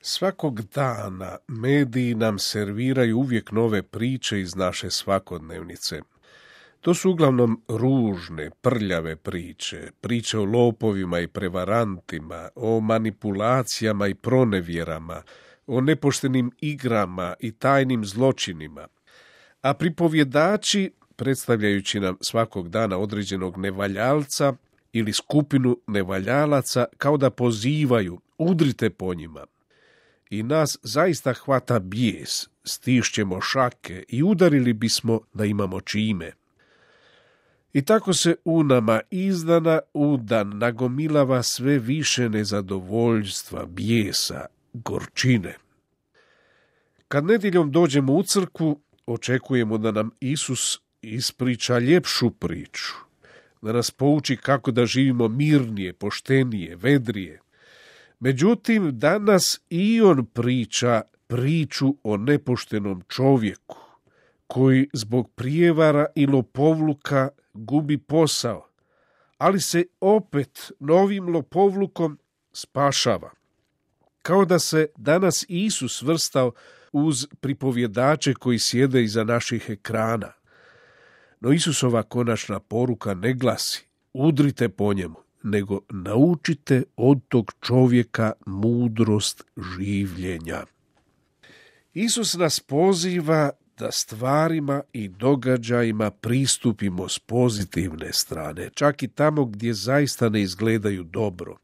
Svakog dana mediji nam serviraju uvijek nove priče iz naše svakodnevnice. To su uglavnom ružne, prljave priče, priče o lopovima i prevarantima, o manipulacijama i pronevjerama, o nepoštenim igrama i tajnim zločinima. A pripovjedači, predstavljajući nam svakog dana određenog nevaljalca ili skupinu nevaljalaca, kao da pozivaju, udrite po njima. I nas zaista hvata bijes, stišćemo šake i udarili bismo da imamo čime. I tako se u nama iz dana u dan nagomilava sve više nezadovoljstva, bijesa, gorčine. Kad nedjeljom dođemo u crkvu, očekujemo da nam Isus ispriča ljepšu priču, da nas pouči kako da živimo mirnije, poštenije, vedrije. Međutim, danas i on priča priču o nepoštenom čovjeku, koji zbog prijevara i lopovluka gubi posao, ali se opet novim lopovlukom spašava. Kao da se danas Isus svrstao uz pripovjedače koji sjede iza naših ekrana. No Isusova konačna poruka ne glasi udrite po njemu, nego naučite od tog čovjeka mudrost življenja. Isus nas poziva da stvarima i događajima pristupimo s pozitivne strane, čak i tamo gdje zaista ne izgledaju dobro.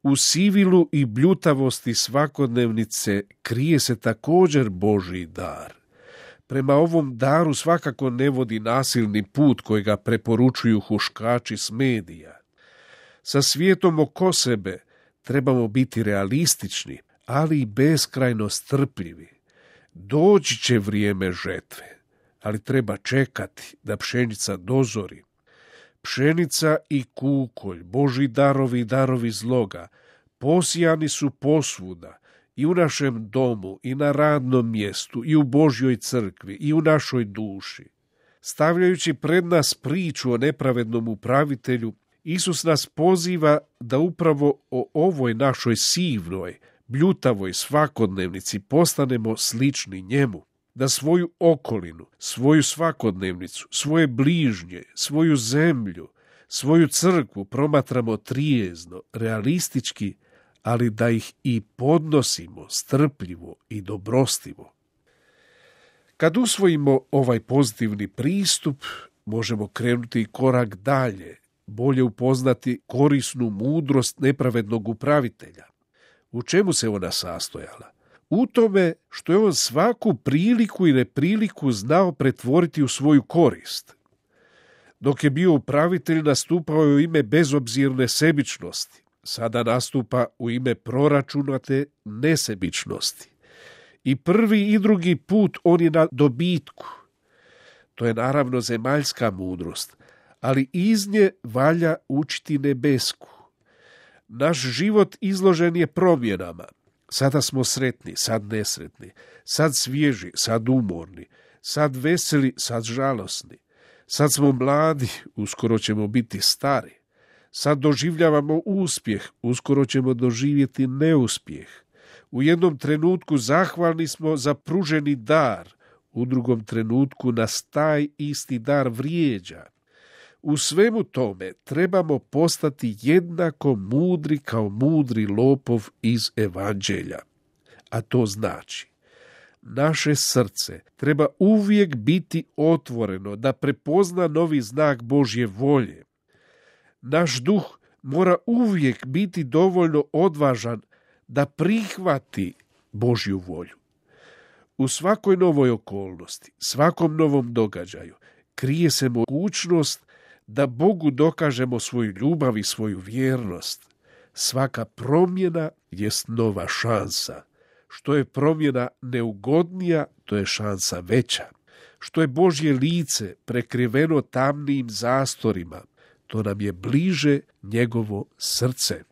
U sivilu i bljutavosti svakodnevnice krije se također Božji dar. Prema ovom daru svakako ne vodi nasilni put kojega preporučuju huškači s medija. Sa svijetom oko sebe trebamo biti realistični, ali i beskrajno strpljivi. Doći će vrijeme žetve, ali treba čekati da pšenica dozori. Pšenica i kukolj, Božji darovi i darovi zloga, posijani su posvuda, i u našem domu, i na radnom mjestu, i u Božjoj crkvi, i u našoj duši. Stavljajući pred nas priču o nepravednom upravitelju, Isus nas poziva da upravo o ovoj našoj sivnoj, bljutavoj svakodnevnici postanemo slični njemu, da svoju okolinu, svoju svakodnevnicu, svoje bližnje, svoju zemlju, svoju crkvu promatramo trijezno, realistički, ali da ih i podnosimo strpljivo i dobrostivo. Kad usvojimo ovaj pozitivni pristup, možemo krenuti korak dalje, bolje upoznati korisnu mudrost nepravednog upravitelja. U čemu se ona sastojala? U tome što je on svaku priliku i nepriliku znao pretvoriti u svoju korist. Dok je bio upravitelj, nastupao je u ime bezobzirne sebičnosti. Sada nastupa u ime proračunate nesebičnosti. I prvi i drugi put on je na dobitku. To je naravno zemaljska mudrost, ali iz nje valja učiti nebesku. Naš život izložen je promjenama. Sada smo sretni, sad nesretni, sad svježi, sad umorni, sad veseli, sad žalosni. Sad smo mladi, uskoro ćemo biti stari. Sad doživljavamo uspjeh, uskoro ćemo doživjeti neuspjeh. U jednom trenutku zahvalni smo za pruženi dar, u drugom trenutku nas taj isti dar vrijeđa. U svemu tome trebamo postati jednako mudri kao mudri lopov iz evanđelja. A to znači, naše srce treba uvijek biti otvoreno da prepozna novi znak Božje volje. Naš duh mora uvijek biti dovoljno odvažan da prihvati Božju volju. U svakoj novoj okolnosti, svakom novom događaju krije se mogućnost da Bogu dokažemo svoju ljubav i svoju vjernost. Svaka promjena jest nova šansa. Što je promjena neugodnija, to je šansa veća. Što je Božje lice prekriveno tamnim zastorima, to nam je bliže njegovo srce.